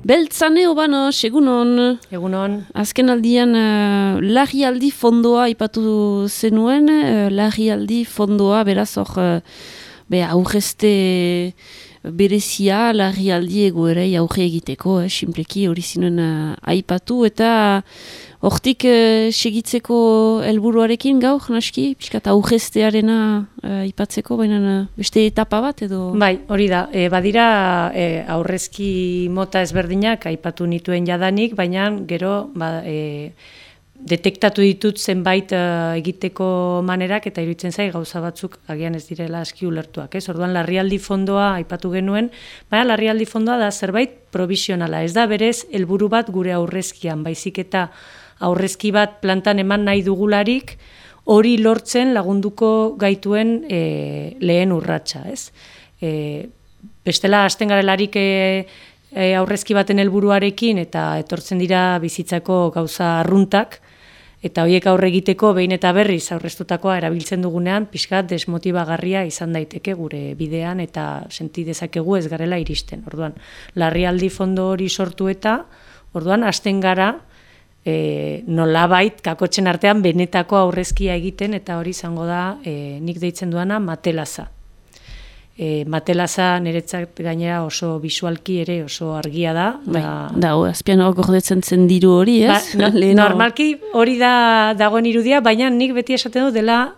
Beltzane obano, egunon. Egunon. Azken aldian larrialdi fondoa ipatu zenuen, larrialdi fondoa, beraz hor, aurrezte berezia larrialdi egoerei aurre egiteko, simpleki hori zinuen aipatu, eta hortik segitzeko helburuarekin gaur, naski, pixkat aurreztearena aipatzeko, baina beste etapa bat edo? Bai, hori da, badira aurrezki mota ezberdinak aipatu nituen jadanik, baina gero detektatu ditut zenbait egiteko manerak eta iruditzen zai gauza batzuk agian ez direla aski ulertuak. Orduan, larrialdi fondoa aipatu genuen, baina larrialdi fondoa da zerbait provisionala, ez da berez helburu bat gure aurrezkian, baizik eta aurrezki bat plantan eman nahi dugularik, hori lortzen lagunduko gaituen lehen urratsa, ez? Bestela hasten garelarik aurrezki baten helburuarekin eta etortzen dira bizitzako gauza arruntak, eta horiek aurre egiteko behin eta berriz aurreztutakoa erabiltzen dugunean, pixkat desmotibagarria izan daiteke gure bidean eta senti dezakegu ez garela iristen. Orduan, larrialdi fondo hori sortu eta, orduan, hasten gara nolabait kakotzen artean benetako aurrezkia egiten eta hori izango da nik deitzen duana matelaza. Matelaza niretzat gainera oso bisualki ere oso argia da. Da, azpian hor gordetzen zen diru hori, ez? Normalki hori da dagoen irudia, baina nik beti esaten du dela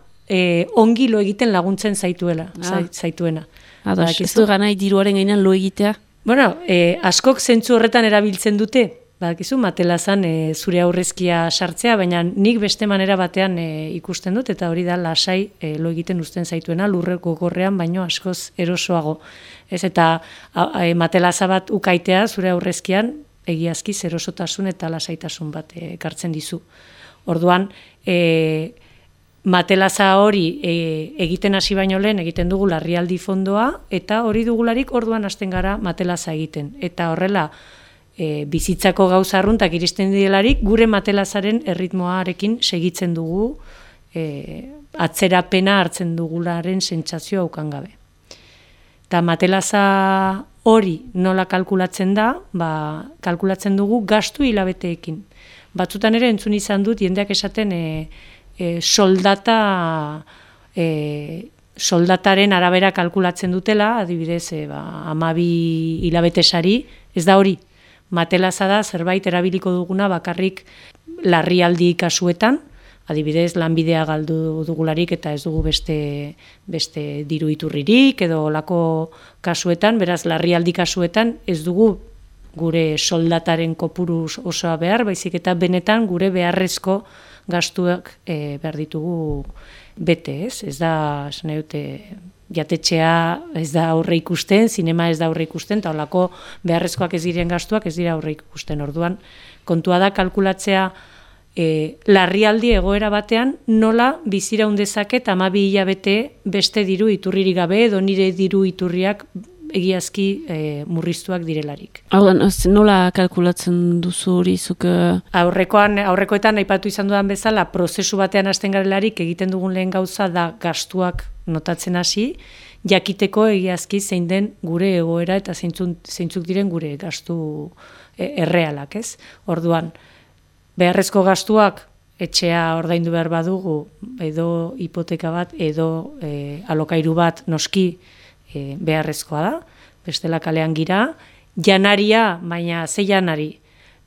ongi lo egiten laguntzen zaituena. Ez du ganai diruaren gainean lo egitea? Bueno, askok zentzu horretan erabiltzen dute, badakizu, matelazan zure aurrezkia sartzea, baina nik beste manera batean ikusten dut, eta hori da lasai lo egiten uzten zaituena, lurreko gogorrean, baino askoz erosoago. Ez eta matelaza bat ukaitea zure aurrezkian, egiazki erosotasun eta lasaitasun bat ekartzen dizu. Orduan, matelaza hori egiten hasi baino lehen egiten dugu larrialdi fondoa, eta hori dugularik orduan hasten gara matelaza egiten. Eta horrela, bizitzako gauza arruntak iristen direlarik, gure matelazaren erritmoarekin segitzen dugu, atzerapena hartzen dugularen sentsazioa ukan gabe. Eta matelaza hori nola kalkulatzen da, kalkulatzen dugu gastu hilabeteekin. Batzutan ere entzun izan dut, jendeak esaten soldataren arabera kalkulatzen dutela, adibidez, 12 hilabete sari, ez da hori. Matelaza da zerbait erabiliko duguna bakarrik larrialdi kasuetan, adibidez lanbidea galdu dugularik eta ez dugu beste diru iturririk edo olako kasuetan, beraz larrialdi kasuetan ez dugu gure soldataren kopuru osoa behar, baizik eta benetan gure beharrezko gastuak behar ditugu bete, ez? Ez da, esan dute, jatetxea ez da aurre ikusten, zinema ez da aurre ikusten, eta holako beharrezkoak ez diren gastuak ez dira aurre ikusten. Orduan, kontua da kalkulatzea larrialdi egoera batean nola biziraun dezaket 12 hilabete beste diru iturririk gabe edo nire diru iturriak egiazki murriztuak direlarik. Nola kalkulatzen duzu hori zuk? Aurrekoetan aipatu izan dudan bezala, prozesu batean hasten garelarik egiten dugun lehen gauza da gastuak notatzen hasi, jakiteko egiazki zein den gure egoera eta zeintzuk diren gure gastu errealak, ez? Orduan, beharrezko gastuak etxea ordaindu behar badugu, edo hipoteka bat, edo alokairu bat noski beharrezkoa da, bestela kalean gira, janaria, baina ze janari.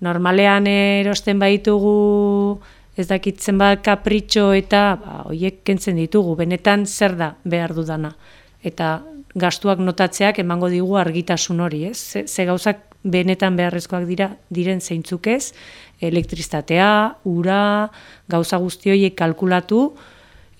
Normalean erosten baitugu ez dakitzen bat kapritxo eta horiek kentzen ditugu, benetan zer da behar dudana. Eta gastuak notatzeak emango digu argitasun hori, ez? Ze gauzak benetan beharrezkoak diren zeintzuk ez, elektrizitatea, ura, gauza guzti horiek kalkulatu,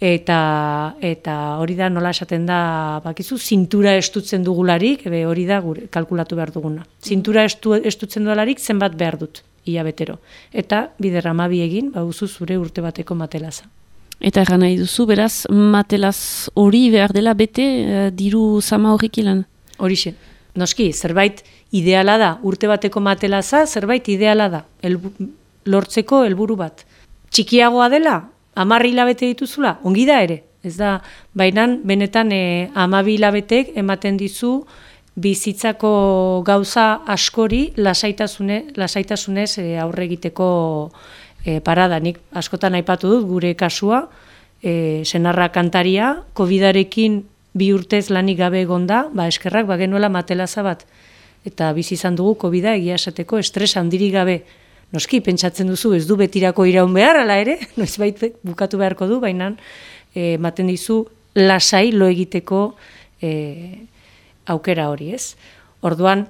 eta hori da nola esaten da, bakizu, zintura estutzen dugularik, hori da kalkulatu behar duguna. Zintura estutzen dugularik zenbat behar dut, hilabetero. Eta bider 12 egin, baduzu zure urte bateko matelaza. Eta erran nahi duzu, beraz, matelaz hori behar dela bete diru zama horrek ilan? Horixe. Noski, zerbait ideala da, urte bateko matelaza, zerbait ideala da, lortzeko helburu bat. Txikiagoa dela, 10 hilabete dituzula, ongi da ere. Ez da, baina benetan 12 hilabetek ematen dizu bizitzako gauza askori lasaitasunez aurre egiteko parada. Nik askotan aipatu dut gure kasua, senarra kantaria, COVID-arekin 2 urtez lanik gabe egonda, eskerrak genuela matelaza bat. Eta bizi izan dugu COVID-a egia esateko estres handirik gabe. Noski, pentsatzen duzu, ez du betirako iraun behar, ala ere, noizbait bukatu beharko du, baina ematen dizu lasai lo egiteko aukera hori, ez? Orduan,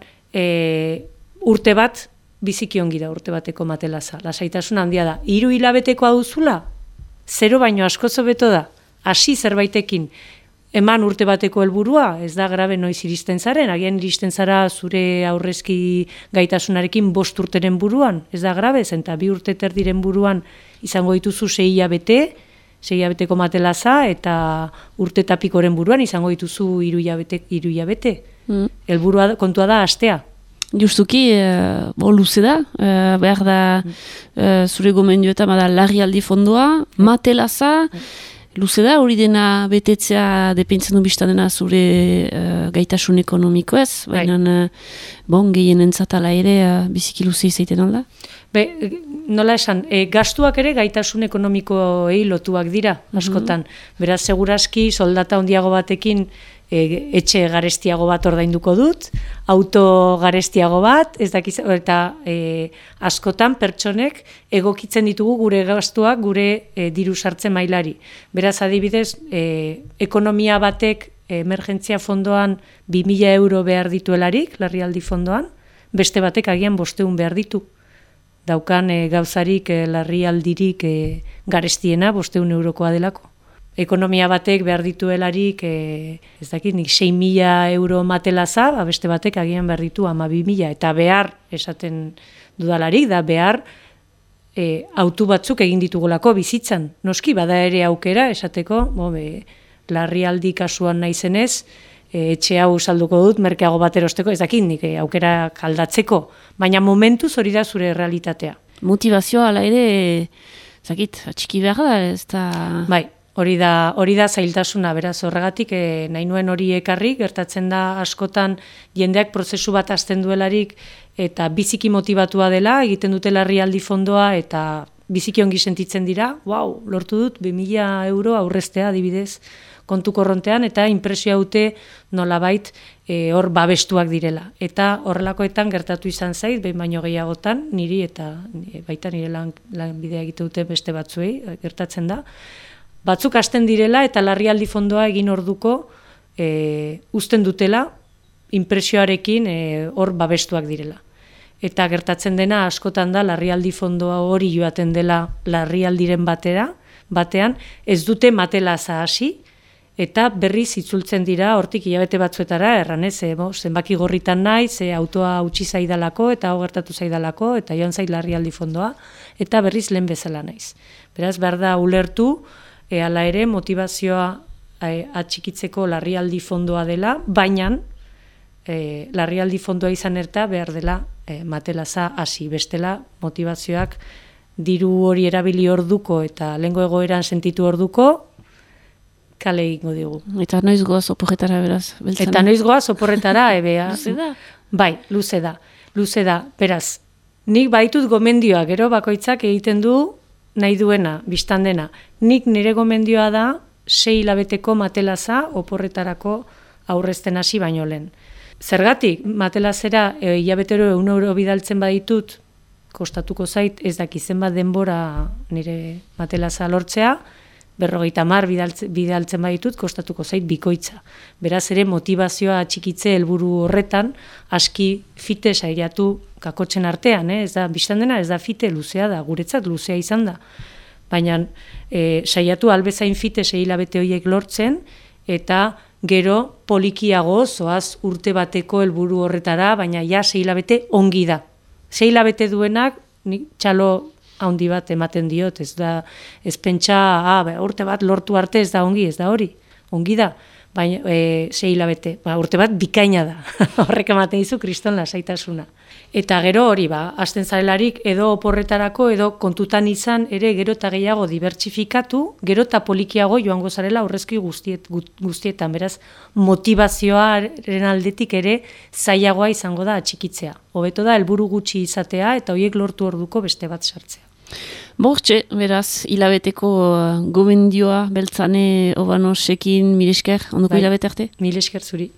urte bat, biziki ongi da urte bateko matelaza, lasaitasun handia da. 3 hilabetekoa duzula, 0 baino askoz hobeto da, hasi zerbaitekin, eman urte bateko helburua, ez da grabe noiz iristen zaren, agian iristen zara zure aurrezki gaitasunarekin 5 urteren buruan, ez da grabe, eta 2 urte terdiren buruan izango dituzu 6 hilabeteko matelaza, eta urte tapikoren buruan izango dituzu 3 hilabete. Helburua kontua da astea. Justuki, luze da, behar da zure gomendioetan bada larrialdi fondoa, matelaza, luze da, hori dena betetzea dependtzen du biztan dena zure gaitasun ekonomiko ez, baina gehien entzatala ere biziki luze izaiten alda? Nola esan, gastuak ere gaitasun ekonomikoei lotuak dira, askotan. Beraz, seguraski, soldata handiago batekin etxe garestiago bat ordainduko dut, auto garestiago bat, ez dakiz, eta askotan pertsonek egokitzen ditugu gure gastuak gure diru sartze mailari. Beraz, adibidez, ekonomia batek emergentzia fondoan 2.000 euro behar dituelarik, larrialdi fondoan, beste batek agian 500 behar ditu. Daukan gauzarik larrialdirik garestiena 500 eurokoa delako. Ekonomia batek behar dituelarik, ez dakit, nik 6.000 euro matelaza, beste batek agian behar ditu 12.000, eta behar, esaten dudalarik, da behar autu batzuk egin ditugulako bizitzan. Noski, bada ere aukera, esateko, larrialdi kasuan naizenez, etxe hau salduko dut, merkeago bat erosteko, ez dakit, nik aukera kaldatzeko, baina momentuz hori da zure realitatea. Motivazioa, ala ere, ez dakit, atxiki behar da, ez da... Bai. Hori da zailtasuna, beraz, horregatik nahi nuen hori ekarri, gertatzen da askotan jendeak prozesu bat hasten duelarik eta biziki motibatua dela, egiten dute larrialdi fondoa eta biziki ongi sentitzen dira, lortu dut 2.000 euro aurreztea adibidez kontu korrontean eta inpresioa dute nolabait hor babestuak direla. Eta horrelakoetan gertatu izan zait, behin baino gehiagotan, niri eta baita nire lanbidea egite dute beste batzuei, gertatzen da. Batzuk hasten direla eta larrialdi fondoa egin orduko uzten dutela, inpresioarekin hor babestuak direla. Eta gertatzen dena askotan da larrialdi fondoa hori joaten dela larrialdiren batean, ez dute matelaza hasi, eta berriz itzultzen dira hortik hilabete batzuetara, erranez, zenbaki gorritan nahi, autoa utzi zaidalako eta hau gertatu zaidalako, eta joan zait larrialdi fondoa, eta berriz lehen bezala naiz. Beraz, behar da ulertu, hala ere motivazioa atxikitzeko larrialdi fondoa dela, baina larrialdi fondoa izan erta behar dela matelaza hasi, bestela motivazioak diru hori erabili orduko eta lehengo egoeran sentitu orduko kale egingo digu. Eta noiz goaz oporretara beraz? Beltzana. Eta noiz goaz oporretara, Luze da? Bai, luze da. Beraz, nik baitut gomendioa, gero bakoitzak egiten du nahi duena, biztan dena. Nik nire gomendioa da 6 hilabeteko matelaza oporretarako aurrezten hasi baino lehen. Zergatik, matelazera hilabetero 100 euro bidaltzen baditut, kostatuko zait, ez dakizen bat denbora nire matelaza lortzea, 50 bidaltzen baditut, kostatuko zait bikoitza. Beraz ere motivazioa atxikitze helburu horretan, aski fite saiatu kakotzen artean, ez da, biztan dena, ez da fite luzea da, guretzat luzea izan da. Baina saiatu albezain fite 6 hilabete horiek lortzen, eta gero polikiago zoaz urte bateko helburu horretara, baina ja 6 hilabete ongi da. 6 hilabete duenak, txalo handi bat ematen diot, ez da, ez pentsa, urte bat lortu arte ez da ongi, ez da hori, ongi da. baina 6 hilabete, urte bat bikaina da, horrek ematen dizu kriston lasaitasuna. Eta gero hori, hasten zarelarik edo oporretarako edo kontutan izan ere gero eta gehiago dibertsifikatu, gero eta polikiago joango zarela aurrezki guztietan, beraz motivazioaren aldetik ere zailagoa izango da atxikitzea. Hobeto da helburu gutxi izatea eta horiek lortu orduko beste bat sartzea. Bortxe, beraz, hilabeteko gomendioa beltzane obanosekin mil esker, ondoko hilabete arte? Mil esker zuri.